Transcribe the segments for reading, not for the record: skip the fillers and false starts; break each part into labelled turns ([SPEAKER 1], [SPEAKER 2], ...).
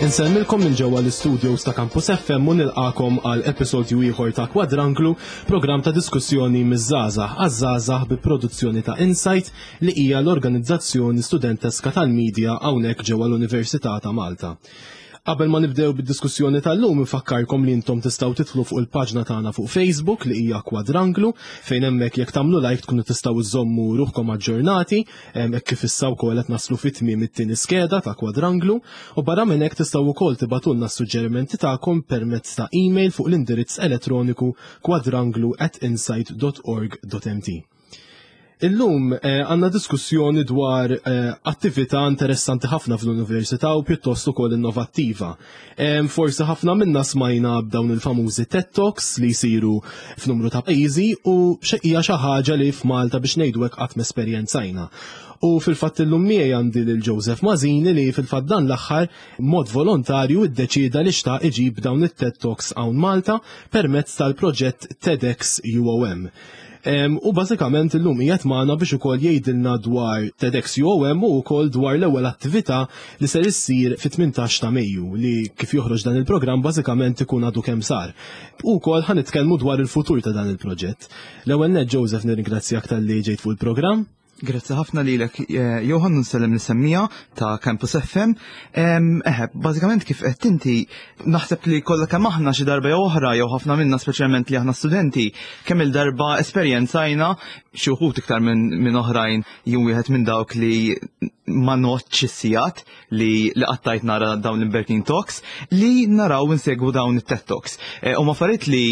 [SPEAKER 1] Insellmilkom minn ġewwa l-istudios ta' Campus FM u nilqakom għal episodju ieħor ta' Kwadranglu, programm ta' diskussjoni miż-żgħażagħ għaż-żgħażagħ bi produzzjoni ta' Insight li hija l-organizzazzjoni studenteska tal-medja hawnhekk ġewwa l-Università ta' Malta. Qabel ma nibdew bid-diskussjoni tal-lum infakkarkom li intom tistgħu tidħlu fuq il-paġna tagħna fuq Facebook li hija Kwadranglu fejn hemmhekk jekk tagħmlu like tkunu tistgħu iżommu ruħkom aġġornati hekk kif issa wkoll qed naslu fi tmiem it-tieni skeda ta' Kwadranglu u barra minn hekk tistgħu wkoll tibagħtulna s-suġġerimenti tagħkom permezz ta' email fuq l-indirizz elettroniku kwadranglu@insight.org.mt. Illum eh, għandna diskussjoni dwar eh, attività interessanti ħafna fl-università u pjuttost ukoll innovattiva. Forsi ħafna minna smajna b'dawn il-famużi TED Talks li jsiru f'numru ta' pajjiżi u hija xi ħaġa li f'Malta biex ngħidu hekk qatt m'esperjenzajna. U fil-fatt illum miegħi għandi lil Joseph Mażini li fil-fatt dan l-aħħar mod volontarju iddeċieda li xtaq iġib dawn it-TED Talks hawn Malta permezz tal-proġett TEDx UOM. U bażikament illum qiegħed magħna biex ukoll jgħidilna dwar TEDx UOM u wkoll dwar l-ewwel attività li ser issir fit-18 ta' Mejju li kif joħroġ dan il-programm bażikament ikun għadu kemm sar. U wkoll ħa nitkellmu dwar il-futur ta' dan il-proġett. L-ewwel nett Joseph nirringrazzjak talli ġejt fuq il-programm.
[SPEAKER 2] Grazzi ħafna lilek eh, Johan nsellem l-semmija ta' Campus FM. Eħe, bażikament kif qed inti naħseb li kollha kemm aħna xi darba jew oħra jew ħafna minna speċjalment li aħna studenti kemm il-darba esperjenzajna xi wħud iktar minn oħrajn jien wieħed minn dawk li ma notx is-sigħat li li qattajt nara dawn l-Imberkin Talks li naraw insegwu dawn it-TED Talks. Eh, huma affarijiet li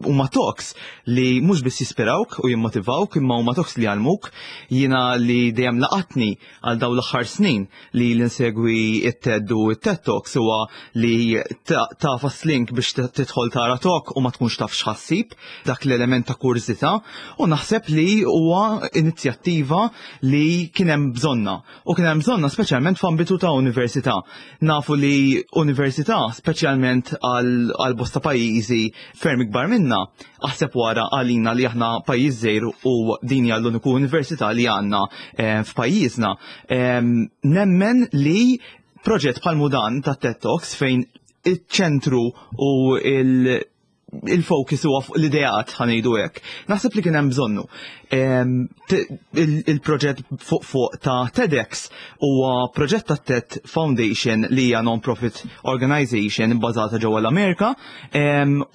[SPEAKER 2] huma talks li mhux biss jispirawk u jimmotivawk imma huma talks li jgħallmuk. Jiena li dejjem laqatni għal dawn l-aħħar snin li l-insegwi it-TED u it-TED Talks huwa li tafas link biex tidħol tara talk u ma tkunx taf x'ħassib dak l-element ta' kurżità u naħseb li huwa inizjattiva li kien hemm bżonna U kien hemm bżonna speċjalment f'ambitu ta' università. Nafu li università, speċjalment għal bosta pajjiżi ferm ikbar minna, aħseb wara għalina li aħna pajjiż żgħir u din hija l-uniku università li għandna eh, f'pajjiżna. Nemmen li proġett bħal mudan ta' TED Talks fejn iċ-ċentru u il- il-focus huwa fuq l-ideat ħanejdu hekk. Naħseb li kien hemm bżonnu. Il-proġett fuq fuq ta' TEDx huwa proġett ta' TED Foundation li hija non-profit organization bbażata ġewwa l-Amerika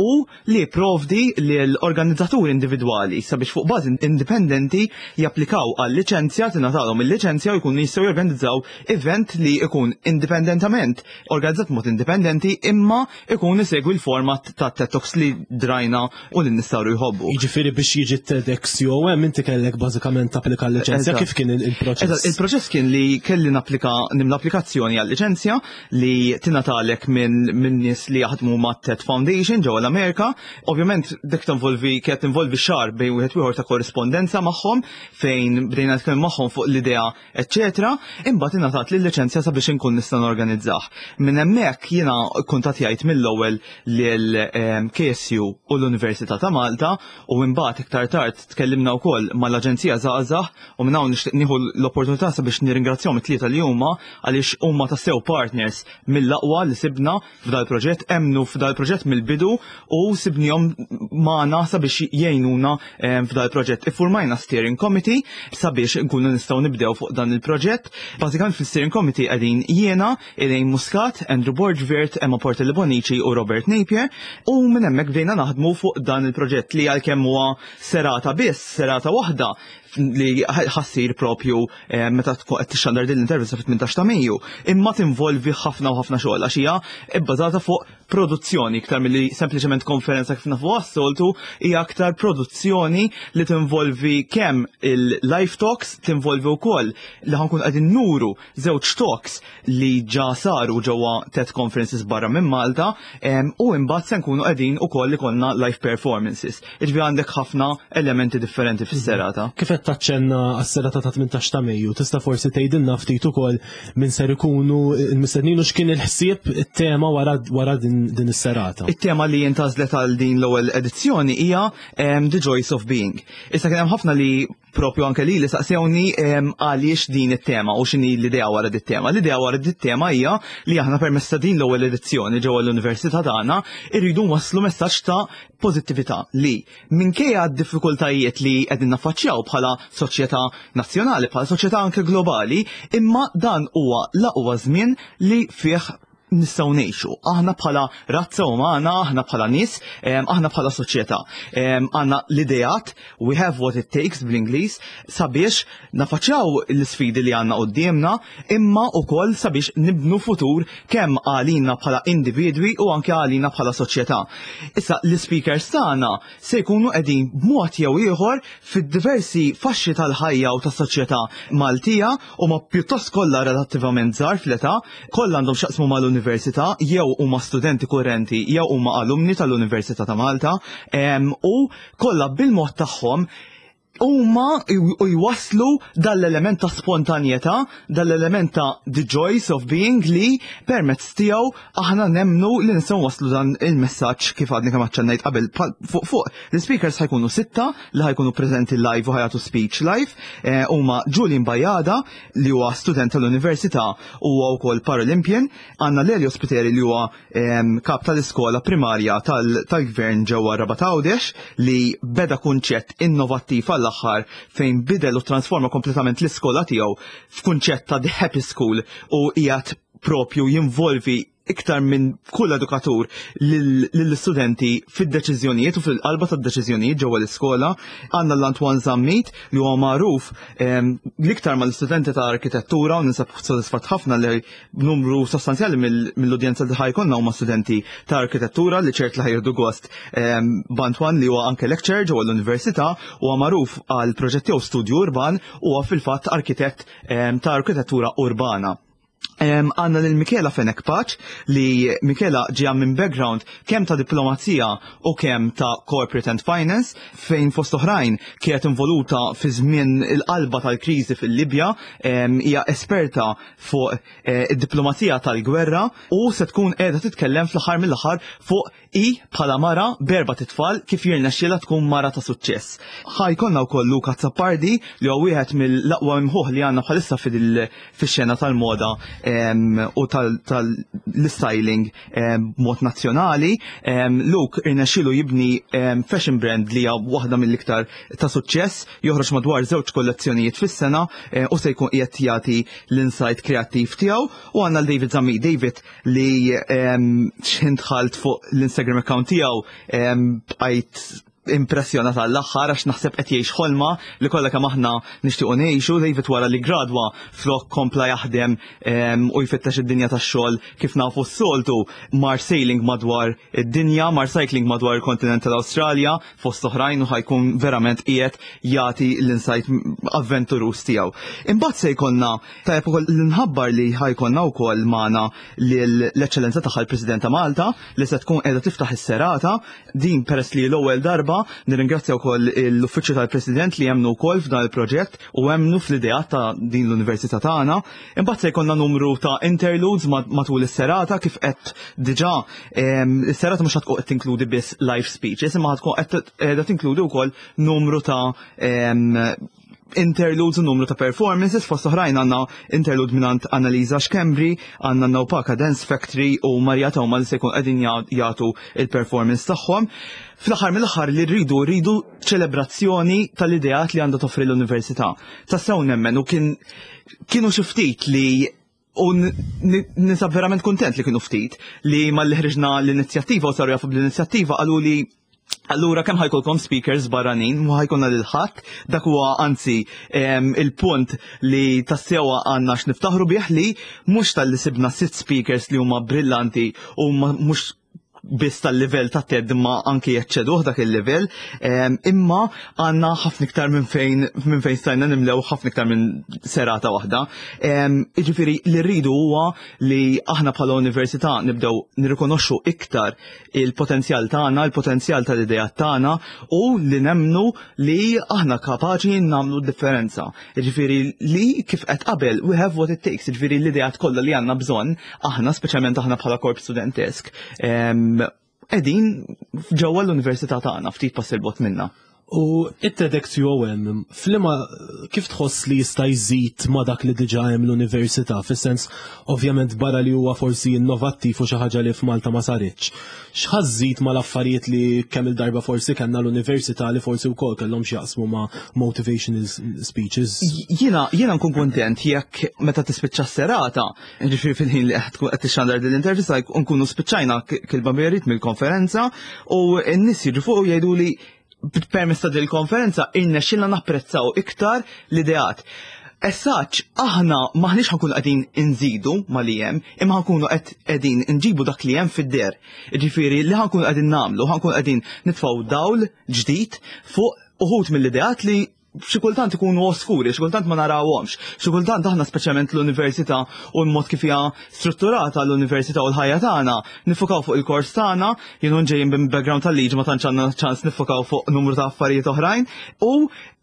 [SPEAKER 2] u li provdi l-organizzaturi individwali sabiex fuq bażi indipendenti japplikaw għal liċenzja tingħatalhom il-liċenzja u jkunu jistgħu jorganizzaw event li jkun indipendentament organizzat mod indipendenti imma ikun isegwi l-format ta' TED Talks li drajna u li nistaru jħobbu.
[SPEAKER 1] Jiġifieri biex jiġi TEDx UOM inti kellek bażikament tapplika l-liċenzja kif kien il-proċess?
[SPEAKER 2] Il-proċess kien li kelli napplika nimla applikazzjoni għal-liċenzja li tingħatalek minn min nies li jaħdmu ma' TED Foundation ġewwa l-Amerika. Ovvjament dik tinvolvi kienet tinvolvi xahar bejn wieħed ieħor ta' korrispondenza magħhom fejn bdejna nitkellmu magħhom fuq l-idea eċċetera, imbagħad ingħatat li l-liċenzja sabiex inkun nista' norganizzah. Minn hemmhekk jiena kuntattjajt mill-ewwel lil ehm, KSU u l-Università ta' Malta u imbagħad iktar tard tkellimna wkoll mal-Aġenzija Żgħażagħ u minn hawn nixtieq nieħu l-opportunità sabiex nirringrazzjahom it-tlieta li huma għaliex huma tassew partners mill-aqwa li sibna f'dal-proġett, emmnu f'dal-proġett mill-bidu u sibnihom magħna sabiex jgħinuna eh, f'dal-proġett. Iffurmajna steering committee sabiex nkunu nistgħu nibdew fuq dan il-proġett. Bażikament fil-steering committee qegħdin jiena, Elaine Muscat, Andrew Borgvert, Emma Portelli Bonici u Robert Napier u minn hemmhekk bdejna naħdmu fuq dan il-proġett li għalkemm huwa serata biss, serata waħda, li ħassir propju eh, meta tkun qed tixxandar din l-intervista fit-18 ta' Mejju, imma tinvolvi ħafna u ħafna xogħol għax hija bbażata fuq produzzjoni iktar milli sempliċement konferenza kif nafu għas-soltu, hija aktar produzzjoni li tinvolvi kemm il-live talks, tinvolvi wkoll li ħankun qegħdin nuru żewġ talks li ġa saru ġewwa TED conferences barra minn Malta u imbagħad se nkunu qegħdin ukoll ikollna live performances. Iġbi għandek ħafna elementi differenti fis-serata.
[SPEAKER 1] Kif qed qed taċċenna għas-serata ta' 18 ta' Mejju, tista' forsi tgħidilna ftit ukoll min ser ikunu l-mistednin u x'kien il-ħsieb it-tema wara din is-serata.
[SPEAKER 2] It-tema li intgħażlet għal din l-ewwel edizzjoni hija The Joys of Being. Issa kien hemm ħafna li propju anke li li saqsewni għaliex din it-tema u x'inhi l-idea wara dit tema. L-idea wara dit tema hija li aħna permezz ta' din l-ewwel edizzjoni ġewwa l-Università tagħna irridu nwasslu messaġġ ta' pożittività li minkejja d-diffikultajiet li qegħdin naffaċċjaw bħala soċjetà nazzjonali, bħala soċjetà anke globali, imma dan huwa l-aqwa żmien li fih nistgħu ngħixu. Aħna bħala razza umana, aħna bħala nies, aħna bħala soċjetà. Għandna l-ideat, we have what it takes bl-Ingliż, sabiex nafaċċjaw l-isfidi li għandna quddiemna, imma wkoll sabiex nibnu futur kemm għalina bħala individwi u anke għalina bħala soċjetà. Issa l-speakers tagħna se jkunu qegħdin b'mod jew ieħor fid-diversi faxxi tal-ħajja u tas-soċjetà Maltija huma pjuttost kollha relattivament żgħar fl-età, kollha għandhom x'jaqsmu mal-università jew huma studenti kurrenti jew huma alumni tal-Università ta' Malta u kollha bil-mod tagħhom huma u jwasslu dal-element ta' spontanjetà, dal-element ta' the joys of being li permezz tiegħu aħna nemmnu li nistgħu waslu dan il-messaġġ kif għadni kemm aċċennajt qabel fuq fuq. L-speakers ħa jkunu sitta li ħa jkunu preżenti live u ħa jagħtu speech live huma Julian Bajada li huwa student tal-Università u huwa wkoll Paralympian, għandna Lelio Spiteri li huwa kap tal-iskola primarja tal-gvern ġewwa Rabat Għawdex li beda kunċett innovattiv għall-aħħar fejn bidel u transforma kompletament l-iskola tiegħu f'kunċett ta' The Happy School u qiegħed propju jinvolvi iktar minn kull edukatur lill-istudenti fid-deċiżjonijiet u fil-qalba tad-deċiżjonijiet ġewwa l-iskola. Għandna l-Antoine Zammit li huwa magħruf l-iktar mal-istudenti ta' arkitettura u ninsab sodisfatt ħafna li numru sostanzjali mill-udjenza li ħa jkollna huma studenti ta' arkitettura li ċert li ħa jieħdu gost b'Antoine li huwa anke lecturer ġewwa l-università huwa magħruf għal proġett tiegħu studju urban huwa fil-fatt arkitett ta' arkitettura urbana. Għandna lil Michela Fenech Paċ li Michela ġeja minn background kemm ta' diplomazija u kemm ta' corporate and finance fejn fost oħrajn kienet involuta fi żmien il-qalba tal-kriżi fil-Libja, hija esperta fuq id-diplomazija tal-gwerra u se tkun qiegħda titkellem fl-aħħar mill-aħħar fuq Hi bħala mara b'erbat itfal kif jirnexxielha tkun mara ta' suċċess. Ħa jkollna wkoll Luca Azzopardi li huwa wieħed mill-aqwa imħuħ li għandna bħalissa fix-xena tal-moda u tal-styling b'mod nazzjonali. Luke irnexxielu jibni fashion brand li hija waħda mill-iktar ta' suċċess, joħroġ madwar żewġ kollezzjonijiet fis-sena u se jkun qiegħed jagħti l-insight kreattiv tiegħu. U għandna l-David Zammit. David li xħin dħalt fuq l-Instagram account tiegħu bqajt impressjonat għall-aħħar għax naħseb qed jgħix ħolma li kollha kemm aħna nixtiequ ngħixu. David wara li gradwa flok kompla jaħdem u jfittex id-dinja tax-xogħol kif nafu s-soltu mar sailing madwar id-dinja, mar cycling madwar il-kontinent tal-Awstralja fost oħrajn u ħa jkun verament qiegħed jagħti l-insight avventuruż tiegħu. Imbagħad se jkollna Tajjeb ukoll li nħabbar li ħa jkollna wkoll magħna l-Eċċellenza tagħha l-President ta' Malta li se tkun qiegħda tiftaħ is-serata din peress li l-ewwel darba nirringrazzja wkoll l-Uffiċċju tal-President li jemmnu wkoll f'dan il-proġett u emmnu fl-idea ta' din l-Università tagħna. Imbagħad se jkollna numru ta' interludes matul is-serata kif qed diġà is-serata mhux tkun qed tinkludi biss live speeches imma tkun qed tinkludi wkoll numru ta' interludes u numru ta' performances, fost oħrajn għandna interlude mingħand Annalisa Schembri, għandna Nopaka Dance Factory u Maria Toma li se jkun qegħdin jagħtu il-performance tagħhom. Fl-aħħar mill-aħħar li rridu rridu ċelebrazzjoni tal-ideat li għandha toffri l-università. Tassew nemmen u kien kienu xi ftit li U ninsab verament kontent li kienu ftit li malli ħriġna l-inizjattiva u saru jafu bl-inizjattiva qalu li Allura kemm ħa jkollkom speakers barranin, mhu ħa jkollna lil ħadd, dak huwa anzi il-punt li tassewa għandna x'niftaħru bih li mhux talli sibna sitt speakers li huma brillanti u mhux biss tal-livell ta' TED imma anki jeċċeduh dak il-livell, imma għandna ħafna iktar minn fejn stajna nimlew, ħafna iktar minn serata waħda. Jiġifieri li rridu huwa li aħna bħala università nibdew nirrikonoxxu iktar il-potenzjal tagħna, il-potenzjal tal-idea tagħna u li nemnu li aħna kapaċi nagħmlu differenza. Jiġifieri li kif qed qabel, we have what it takes, jiġifieri l-idea kollha li għandna bżonn aħna, speċjalment aħna bħala korp studentesk, qegħdin ġewwa l-università tagħna, ftit pass 'il bogħod minna.
[SPEAKER 1] U it-TEDx UOM, flima kif tħoss li jista' jżid ma' dak li diġà hemm l-università, fis-sens ovvjament barra li huwa forsi innovattiv u xi ħaġa li f'Malta ma saritx? X'ħa żżid mal-affarijiet li kemm il-darba forsi kellna l-università li forsi wkoll kellhom x'jaqsmu ma' motivational speeches?
[SPEAKER 2] Jiena nkun kontent jekk meta tispiċċa s-serata, ġifieri fil-ħin li qed tixandar din l-intervista, nkunu spiċċajna kilba merit mill-konferenza u n-nies jiġu fuq u jgħidu li permezz ta' dil-konferenza irnexxilna napprezzaw iktar l-ideat. Essaċ, aħna maħniex ħa nkunu qegħdin inżidu ma li hemm, imma ħa nkunu qed qegħdin nġibu dak li hemm fid-der. Ġifieri li ħa nkunu qegħdin nagħmlu, ħa nkunu qegħdin nitfgħu dawl ġdid fuq uħud mill-ideat li xi kultant ikunu oskuri, xi kultant ma narawhomx. Xi kultant aħna, speċjalment l-università u l-mod kif hija strutturata l-università u l-ħajja tagħna, nifukaw fuq il-kors tagħna, jien ġejjin minn background tal-liġi, ma tantx għandna ċans nifukaw fuq numru ta' affarijiet oħrajn u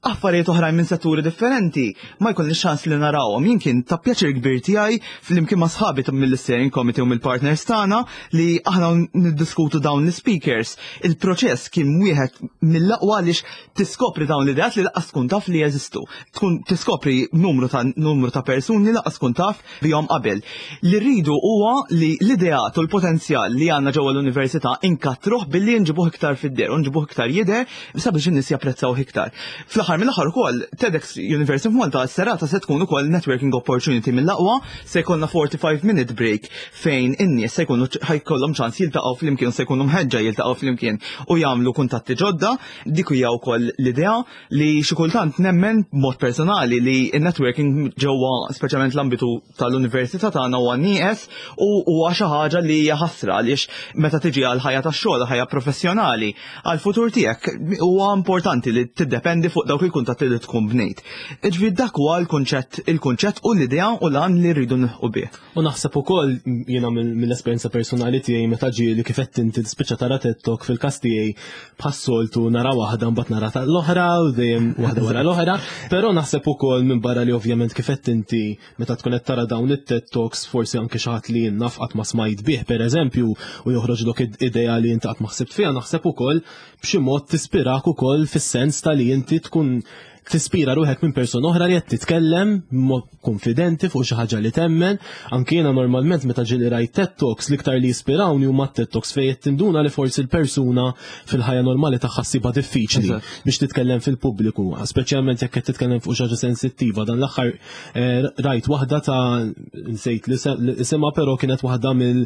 [SPEAKER 2] affarijiet oħrajn minn setturi differenti ma jkollniex ċans li narawhom. Jien kien ta' pjaċir kbir tiegħi flimkien ma' sħabi mill-steering committee u mill-partners tagħna li aħna niddiskutu dawn l-speakers. Il-proċess kien wieħed mill-aqwa għaliex tiskopri dawn l-ideat li lanqas tkun taf li jeżistu. Tkun tiskopri numru ta' persuni li lanqas tkun taf bihom qabel. Li rridu huwa li l-ideat u l-potenzjal li għandna ġewwa l-università inkattruh billi nġibuh iktar fid-der u nġibuh iktar jidher sabiex in-nies japprezzaw iktar. Fl-aħħar mill-aħħar ukoll TEDx University of Malta s-serata se tkun ukoll networking opportunity mill-aqwa, se jkollna 45 minute break fejn in-nies se jkunu ħa jkollhom ċans jiltaqgħu flimkien, se jkunu mħeġġa jiltaqgħu flimkien u jagħmlu kuntatti ġodda. Dik hija wkoll l-idea li xi kultant nemmen mod personali li n-networking ġewwa speċjalment l-ambitu tal-università tagħna huwa nieqes u huwa xi ħaġa li hija ħasra, għaliex meta tiġi għal ħajja tax-xogħol, ħajja professjonali, għal futur tiegħek, huwa importanti li tiddependi fuq dawk il-kuntatti li tkun bnejt. Ġifieri dak huwa il-kunċett u l-idea u l-għan li rridu nilħqu bih.
[SPEAKER 1] U naħseb ukoll jiena mill-esperjenza personali tiegħi, meta ġieli kif qed inti tispiċċa tara TED Talk, fil-każ tiegħi bħas-soltu nara waħda, mbagħad nara l-oħra u dejjem waħda wara l-oħra, però naħseb ukoll minn barra li ovvjament kif qed inti meta tkun qed tara dawn it-TED Talks, forsi anke xi ħadd li naf qatt ma smajt bih, pereżempju, u joħroġlok idea li inti qatt ma ħsibt fiha, naħseb ukoll b'xi mod tispirak ukoll fis-sens ta' li inti tkun tispira ruħek minn persuna oħra li qed titkellem mod konfidenti fuq xi ħaġa li temmen. Anke jiena normalment meta ġieli rajt TED Talks, l-iktar li jispirawni huma TED Talks fejn qed tinduna li forsi l-persuna fil-ħajja normali tagħha ssibha diffiċli biex titkellem fil-pubbliku, speċjalment jekk qed titkellem fuq xi ħaġa sensittiva. Dan l-aħħar rajt waħda ta', nsejt li isimha, però kienet waħda minn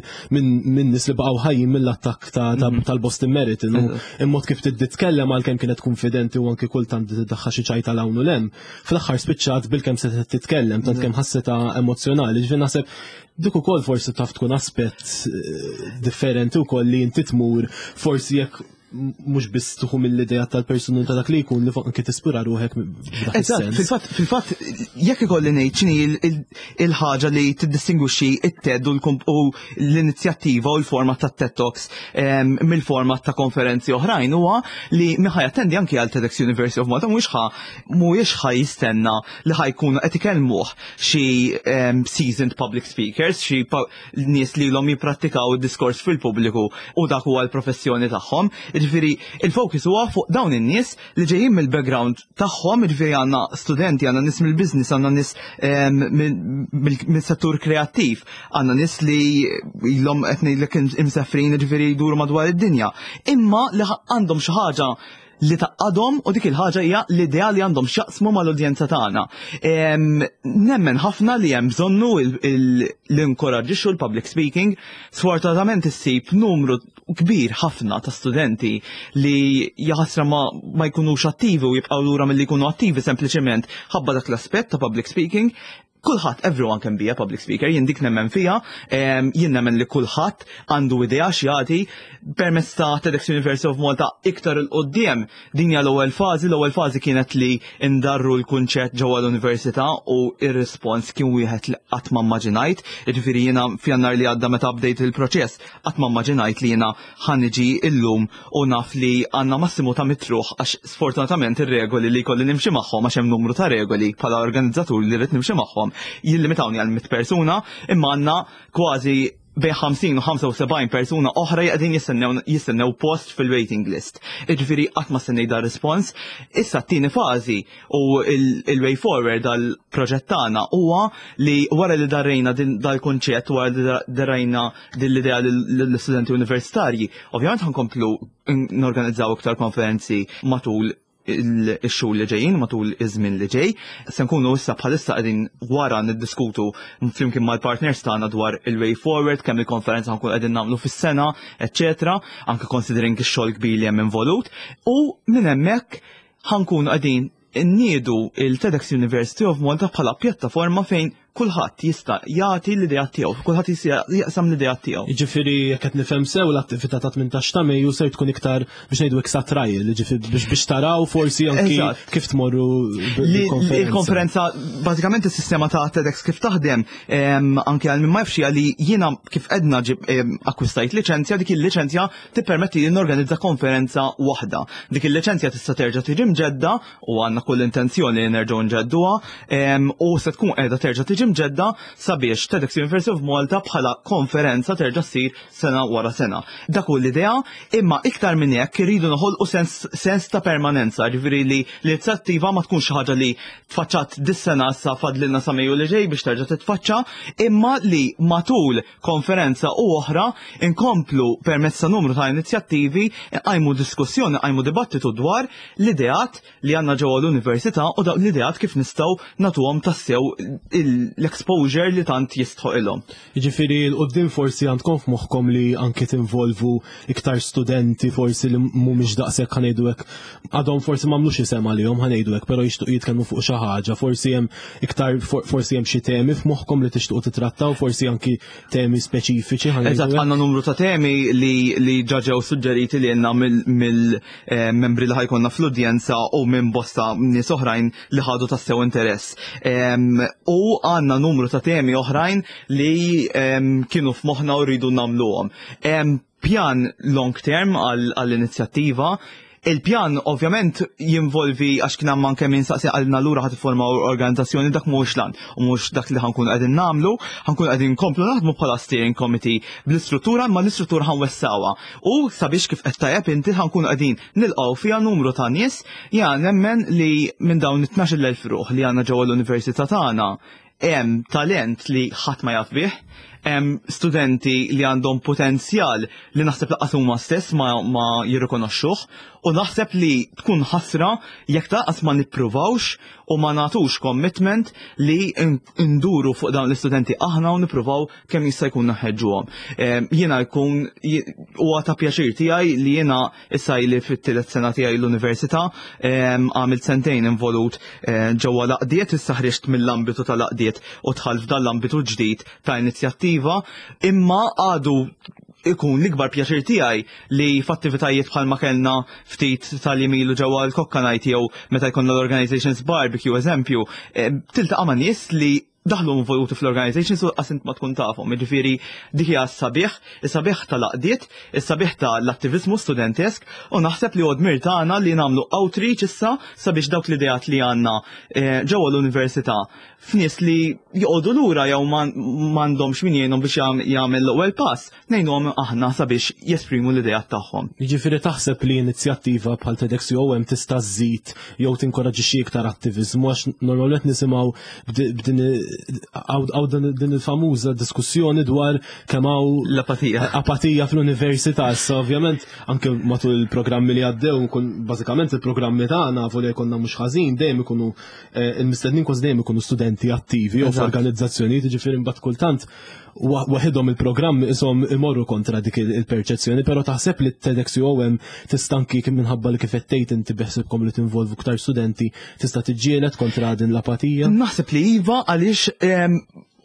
[SPEAKER 1] nies li baqgħu ħajjin mill-attakk tal-Boston Marathon. Il-mod kif titkellem, għalkemm kienet konfidenti u anke kultant tiddaħħal xi ċajta 'l hawn u 'l hemm, fl-aħħar spiċċat bilkemm se titkellem tant kemm ħassitha emozjonali. Ġifieri naħseb dik ukoll forsi taf tkun aspett differenti wkoll li inti tmur forsi jekk mhux biss tieħu mill-idea tal-persuna ta' dak li jkun, li anke tispira ruħek.
[SPEAKER 2] Eżatt, fil-fatt jekk ikolli ngħid x'inhi il-ħaġa li tiddistingwixxi it-TED u l-inizjattiva u l-format ta' TED Talks mill-format ta' konferenzi oħrajn, huwa li min ħa jattendi anki għal TEDx University of Malta mhuwiex ħa jistenna li ħa jkunu qed ikellmuh xi seasoned public speakers, xi nies li ilhom jipprattikaw id-diskors fil-pubbliku u dak huwa l-professjoni tagħhom. Ġifieri il-focus huwa fuq dawn in-nies li ġejjin mill-background tagħhom, ġifieri għandna studenti, għandna nies mill-business, għandna nies mill-settur kreattiv, għandna nies li ilhom qed ngħidlek imsefrin, ġifieri jduru madwar id-dinja. Imma li għandhom xi ħaġa li tgħaqqadhom u dik il-ħaġa hija l-idea li għandhom x'jaqsmu mal-udjenza tagħna. Nemmen ħafna li hemm bżonnu l-inkoraġġixxu l-public speaking. Sfortunatament issib numru kbir ħafna ta' studenti li jaħasra ma jkunux attivi u jibqgħu lura milli jkunu attivi sempliċement ħabba dak l-aspett ta' public speaking. Kulħadd, everyone can be a public speaker, jien dik nemmen fija, jien nemmen li kulħadd għandu idea x'jagħti permezz ta' TEDx University of Malta iktar 'il quddiem. Din hija l-ewwel fażi, l-ewwel fażi kienet li ndarru l-kunċett ġewwa l-università u ir-rispons kien wieħed li qatt ma mmaġinajt. Jiġifieri jiena f'Jannar li għadda meta bdejt il-proċess qatt ma mmaġinajt li jiena ħa niġi illum u naf li għandna massimu ta' mitruħ għax sfortunatament ir-regoli li jkolli nimxi magħhom għax hemm numru ta' regoli bħala organizzatur li rrid nimxi magħhom jillimitawni għal mit persuna imma għandna kważi bejn 50 u 75 persuna oħra qegħdin jistennew jistennew post fil-waiting list. Jiġifieri qatt ma stennejt dar respons. Issa t-tieni fażi u il-way forward dal-proġett tagħna huwa li wara li darrejna dal-kunċett, wara li darrejna din l-idea lill-istudenti universitarji, ovvjament ħankomplu norganizzaw iktar konferenzi matul ix-xhur li ġejjin matul iż-żmien li ġej. Se nkunu issa bħalissa qegħdin wara niddiskutu flimkien mal-partners tagħna dwar il-way forward, kemm il-konferenza nkunu qegħdin nagħmlu fis-sena, eċċetera, anke considering ix-xogħol kbir li hemm involut. U minn hemmhekk ħankunu qegħdin nniedu il-TEDx University of Malta bħala pjattaforma fejn kulħadd jista' jagħti l-idea tiegħu, kulħadd jista' jaqsam l-idea tiegħu.
[SPEAKER 1] Jiġifieri jekk qed nifhem sew l-attività ta' 18 ta' Mejju ser tkun iktar biex ngħidu iksa trial, jiġifieri biex biex taraw forsi anki kif tmorru
[SPEAKER 2] bil-konferenza. Il-konferenza bażikament is-sistema ta' TEDx kif taħdem anke għal min ma jafx li jiena kif edna akkwistajt liċenzja, dik il-liċenzja tippermetti li norganizza konferenza waħda. Dik il-liċenzja tista' terġa' tiġi mġedda u għandna kull intenzjoni li nerġgħu nġedduha u se tkun qiegħda terġa' tiġi mġedda sabiex TEDx University of Malta bħala konferenza terġa' ssir sena wara sena. Dak hu l-idea, imma iktar minn hekk irridu noħolqu sens, sens ta' permanenza, ġifieri li l-inizjattiva ma tkunx xi ħaġa li tfaċċat dis-sena issa fadlilna sa Mejju li ġej biex terġa' titfaċċa, imma li matul konferenza u oħra inkomplu permezz ta' numru ta' inizjattivi nqajmu diskussjoni, nqajmu dibattitu dwar l-ideat li għandna ġewwa l-università u dawk l-ideat kif nistgħu nagħtuhom tassew l-exposure li tant jistħoqilhom.
[SPEAKER 1] Jiġifieri 'l quddiem forsi għandkom f'moħħkom li anki tinvolvu iktar studenti forsi li mhumiex daqshekk ħa ngħidu hekk għadhom forsi m'għamlux isem għalihom ħa ngħidu hekk, però jixtuq jitkellmu fuq xi ħaġa, forsi hemm iktar forsi hemm xi temi f'moħħkom li tixtuqu titrattaw, forsi anki temi speċifiċi ħa
[SPEAKER 2] Eżatt, għandna numru ta' temi li li ġa ġew suġġeriti li għandna mill-membri li ħajkonna fl-udjenza u minn bosta nies oħrajn li ħadu tassew interess. U għandna numru ta' temi oħrajn li kienu f'moħħna u rridu nagħmluhom. Pjan long term għall-inizjattiva. Il-pjan ovvjament jinvolvi għax kien hemm anke min saqsi għalna lura ħad tifforma organizzazzjoni dak mhuwiex lan u mhux dak li ħankun qegħdin nagħmlu, ħankun qegħdin nkomplu naħdmu bħala steering committee bl-istruttura imma l-istruttura ħanwessawha. U sabiex kif qed tajjeb inti ħankun qegħdin nilqgħu fiha numru ta' nies ja nemmen li minn dawn it-12,000 ruħ li għandna ġewwa l-università tagħna hemm talent li ħadd ma jaf bih, hemm studenti li għandhom potenzjal li naħseb laqqas huma stess ma, ma jirrikonoxxuh u naħseb li tkun ħasra jekk taqas ma nippruvawx u ma nagħtux commitment li nduru fuq dawn l-istudenti aħna u nippruvaw kemm jista' jkun naħeġġuhom. Jiena jkun huwa ta' pjaċir tiegħi li jiena Issa ili fit-tielet sena tiegħi l-università, għamilt sentejn involut eh, ġewwa l-aqdiet, issa ħriġt mill-ambitu tal-aqdiet u dħalt f'dan l-ambitu ġdid ta' inizjattiva, imma għadu ikun l-ikbar pjaċir tiegħi li f'attivitajiet bħalma kellna ftit tal-jemilu ġewwa l-Kokka Night jew meta jkollna l-Organizations Barbecue eżempju, tiltaqa' ma' nies li daħlu involuti fl-organizations u qas int ma tkun tafhom. Jiġifieri dik hija s-sabiħ, is-sabiħ tal-għaqdiet, is-sabiħ tal-attiviżmu studentesk u naħseb li dmir tagħna li nagħmlu outreach issa sabiex dawk l-ideat li għandna eh, ġewwa l-università f'nies li joqogħdu lura jew m'għandhomx min jgħinhom biex jagħmel l-ewwel pass, ngħinuhom aħna sabiex jesprimu l-ideat tagħhom.
[SPEAKER 1] Jiġifieri taħseb li inizjattiva bħal TEDx UOM tista' żżid jew tinkoraġixxi iktar attiviżmu għax normalment nisimgħu b'din din il-famuża diskussjoni dwar kemm hawn
[SPEAKER 2] l-apatija.
[SPEAKER 1] Apatija fl-università. Issa ovvjament anke matul il-programmi li għaddew bażikament il-programmi tagħna volja jkollna mhux ħażin dejjem ikunu eh, il-mistednin kważi dejjem ikunu studenti studenti attivi u f'organizzazzjonijiet, ġifieri mbagħad kultant waħidhom il-programm isom imorru kontra dik il-perċezzjoni, però taħseb li TEDx UOM tista' anki minħabba li kif qed tgħid inti beħsibkom li tinvolvu ktar studenti tista' tiġġieled kontra din l-apatija?
[SPEAKER 2] Naħseb li iva għaliex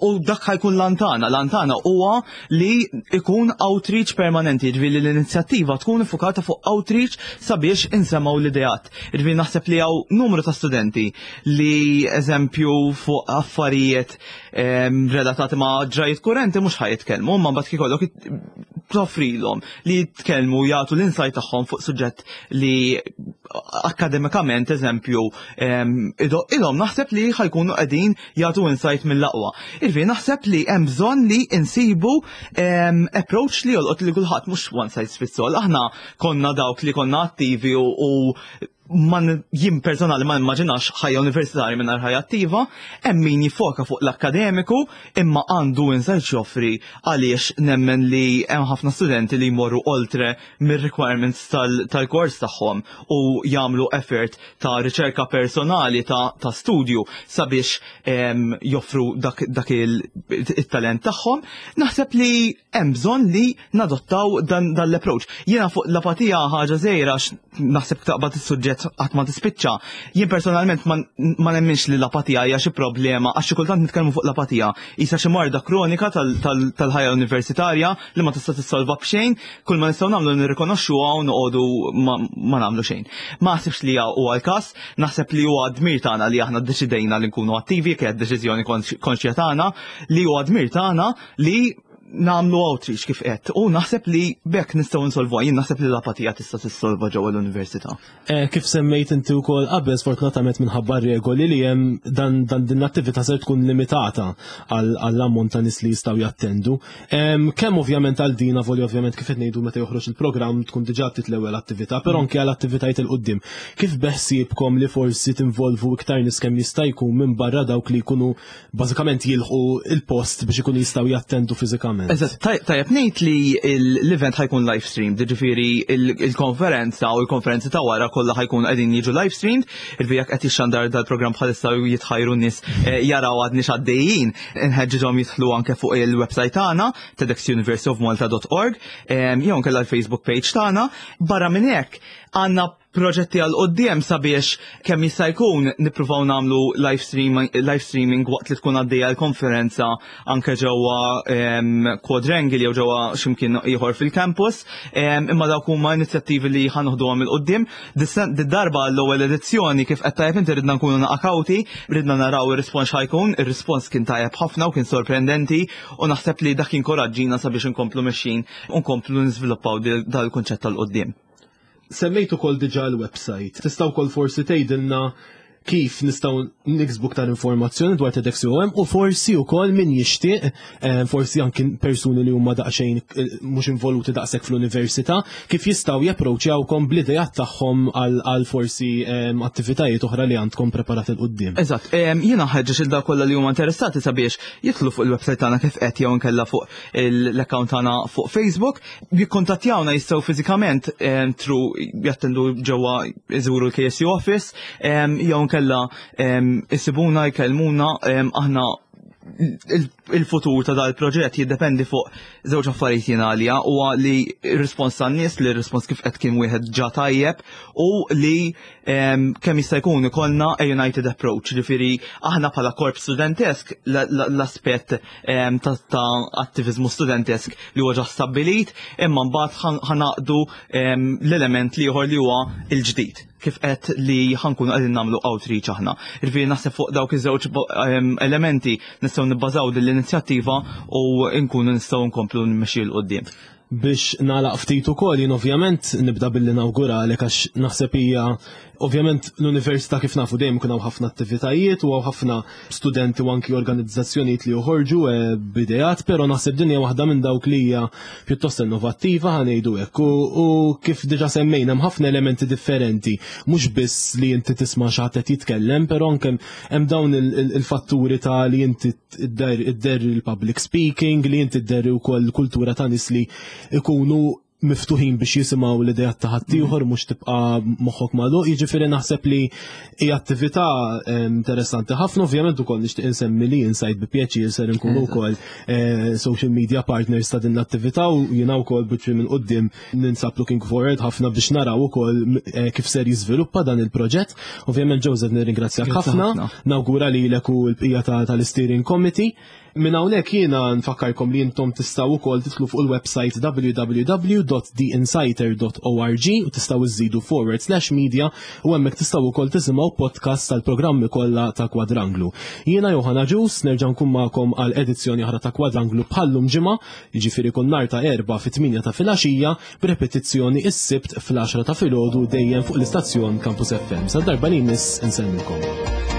[SPEAKER 2] u dak ħajkun lantana. Lantana huwa li ikun outreach permanenti, ġifieri li l-inizjattiva tkun iffukata fuq outreach sabiex insemgħu l-ideat. Ġifieri naħseb li hawn numru ta' studenti li eżempju fuq affarijiet relatati ma' ġrajiet kurrenti mhux ħaj jitkellmu, ma mbagħad kikollok toffrilhom li jitkellmu jagħtu l-insight tagħhom fuq suġġett li akademikament eżempju ilhom naħseb li ħajkunu qegħdin jagħtu insight mill-aqwa. Irvi naħseb li hemm bżonn li insibu approach li jolqot li kulħadd mhux one size fits all. Aħna konna dawk li konna attivi u man jien personali ma nimmaġinax ħajja universitarja mingħajr ħajja attiva, hemm min jiffoka fuq l-akkademiku imma għandu insight joffri għaliex nemmen li hemm ħafna studenti li jmorru oltre mir-requirements tal-kors tagħhom u jagħmlu effort ta' riċerka personali ta', ta studju sabiex joffru dak, dak il-talent tagħhom, naħseb li hemm bżonn li nadottaw dan, dan l-approach. Jiena fuq l-apatija ħaġa żgħira naħseb taqbad is-suġġett qatt ma tispiċċa. Jien personalment ma, ma nemminx li l-apatija hija xi problema għax xi kultant nitkellmu fuq l-apatija. Isa xi marda kronika tal-ħajja tal, universitarja li ma tista' tissolva b'xejn, kull ma nistgħu nagħmlu nirrikonoxxuha u noqogħdu ma, ma nagħmlu xejn. Ma naħsibx li huwa l-każ, naħseb li huwa dmir tagħna li aħna ddeċidejna li nkunu attivi, kienet deċiżjoni konxja tagħna, li huwa dmir tagħna li namlu outreach kif qed u naħseb li bekk nistgħu nsolvu jien naħseb li l-apatija tista' tissolva ġewwa l-università.
[SPEAKER 1] Eh, kif semmejt inti wkoll qabel sfortunatament minħabba regoli li hemm dan, dan din l-attività ser tkun limitata għall-ammont ta' nies li jistgħu jattendu. Kemm ovvjament għal dina voli ovvjament kif qed ngħidu meta joħroġ il-programm tkun diġà tit l-ewwel attività, però anke għal attivitajiet il qudiem Kif beħsiebkom li forsi tinvolvu iktar nies kemm jista' jkun minn barra dawk li jkunu bażikament jilħu il-post biex ikunu jistgħu jattendu fiżikament.
[SPEAKER 2] Eżatt, tajjeb ngħid li l-event ħajkun live stream, ġifieri il-konferenza u l-konferenzi ta' wara kollha ħajkun qegħdin jiġu live streamed, il jekk qed jixxandar dal-programm bħalissa u jitħajru n-nies eh, jaraw għadni x'għaddejjin, inħeġġiġhom jidħlu anke fuq il-website tagħna tedxuniversityofmalta.org eh, jew nkella l-Facebook page tagħna. Barra minn hekk għandna proġetti għal quddiem sabiex kemm jista' jkun nippruvaw nagħmlu live streaming, live streaming waqt li tkun għaddejja l-konferenza anke ġewwa Quadrangle jew ġewwa x'imkien ieħor fil-campus, imma dawk huma inizjattivi li ħanoħduhom il quddiem. Darba l-ewwel edizzjoni kif qed tajjeb inti ridna nkunu naqakawti, ridna naraw ir-rispons ħajkun, ir-rispons kien tajjeb ħafna u kien sorprendenti u naħseb li dak inkoraġġina sabiex inkomplu mexjin u nkomplu niżviluppaw dal-kunċett tal-qudiem.
[SPEAKER 1] Semmejt ukoll diġà l-website. Tista' wkoll forsi tgħidilna kif nistgħu niksbu ktar informazzjoni dwar TEDxUOM u forsi wkoll min jixtieq, eh, forsi anki persuni li huma daqsxejn eh, mhux involuti daqshekk fl-università, kif jistgħu japproċċjawkom bl-idejat tagħhom għal forsi eh, attivitajiet oħra li għandkom preparati l qudiem.
[SPEAKER 2] Eżatt, jiena ħeġġeġ il kollha li huma interessati sabiex jidħlu fuq il-website tagħna kif qed jew inkella fuq l-account tagħna fuq Facebook Jikkontattjawna jistgħu fiżikament eh, tru jattendu ġewwa iżuru l-KSU office eh, jew nkella eh, isibuna jkellmuna aħna il-futur ta' dal-proġett jiddependi fuq żewġ affarijiet jien għalija huwa li r-rispons tan-nies li r-rispons kif qed kien wieħed ġa tajjeb u li kemm jista' jkun ikollna a united approach, ġifieri aħna bħala korp studentesk l-aspett ta' attivizmu studentesk li huwa ġa stabbilit, imma mbagħad ħanaqdu l-element li ieħor li huwa l-ġdid kif qed li ħankunu qegħdin nagħmlu outreach aħna. Ġifieri naħseb fuq dawk iż-żewġ elementi nistgħu nibbażaw din l-inizjattiva u nkunu nistgħu nkomplu nmexxi 'l quddiem.
[SPEAKER 1] Biex nagħlaq ftit ukoll jien ovvjament nibda billi nawguralek għax naħseb hija ovvjament l-università kif nafu dejjem ikun hawn ħafna attivitajiet u hawn ħafna studenti u anki organizzazzjonijiet li joħorġu eh, b'ideat, però naħseb din hija waħda minn dawk li hija pjuttost innovattiva ħanejdu hekk u kif diġà semmejna hemm ħafna elementi differenti, mhux biss li inti tisma' xi ħadd qed jitkellem, però anke hemm dawn il-fatturi ta' li inti idderri l-public speaking, li inti dderri wkoll kultura ta' nies li ikunu miftuħin biex jisimgħu l-idejat ta' ħaddieħor mhm. mhux tibqa' moħħok magħluq, jiġifieri naħseb li hija attività eh, interessanti ħafna, ovvjament ukoll nixtieq insemmi li insajt bi pjaċir ser inkunu wkoll eh, social media partners ta' din l-attività u jiena wkoll biċċi minn quddiem ninsab looking forward ħafna biex naraw ukoll eh, kif ser jiżviluppa dan il-proġett. Ovvjament Joseph nirringrazzjak ħafna, nawgura lilek u l-bqija tal-steering committee. Minn hawnhekk jiena nfakkarkom li intom tistgħu wkoll tidħlu fuq il-website www.theinsighter.org u tistgħu iżidu forward slash media u hemmhekk tistgħu wkoll tisimgħu podcast tal-programmi kollha ta' Kwadranglu. Jiena Johanna Ġus nerġa' nkun magħkom għal edizzjoni oħra ta' Kwadranglu bħallum ġimgħa, jiġifieri kull nhar ta' Erbgħa fit-8 ta' filgħaxija b'repetizzjoni is-Sibt fl-10 ta' filgħodu dejjem fuq l-istazzjon Campus FM. Sa darba li jmiss insellmilkom.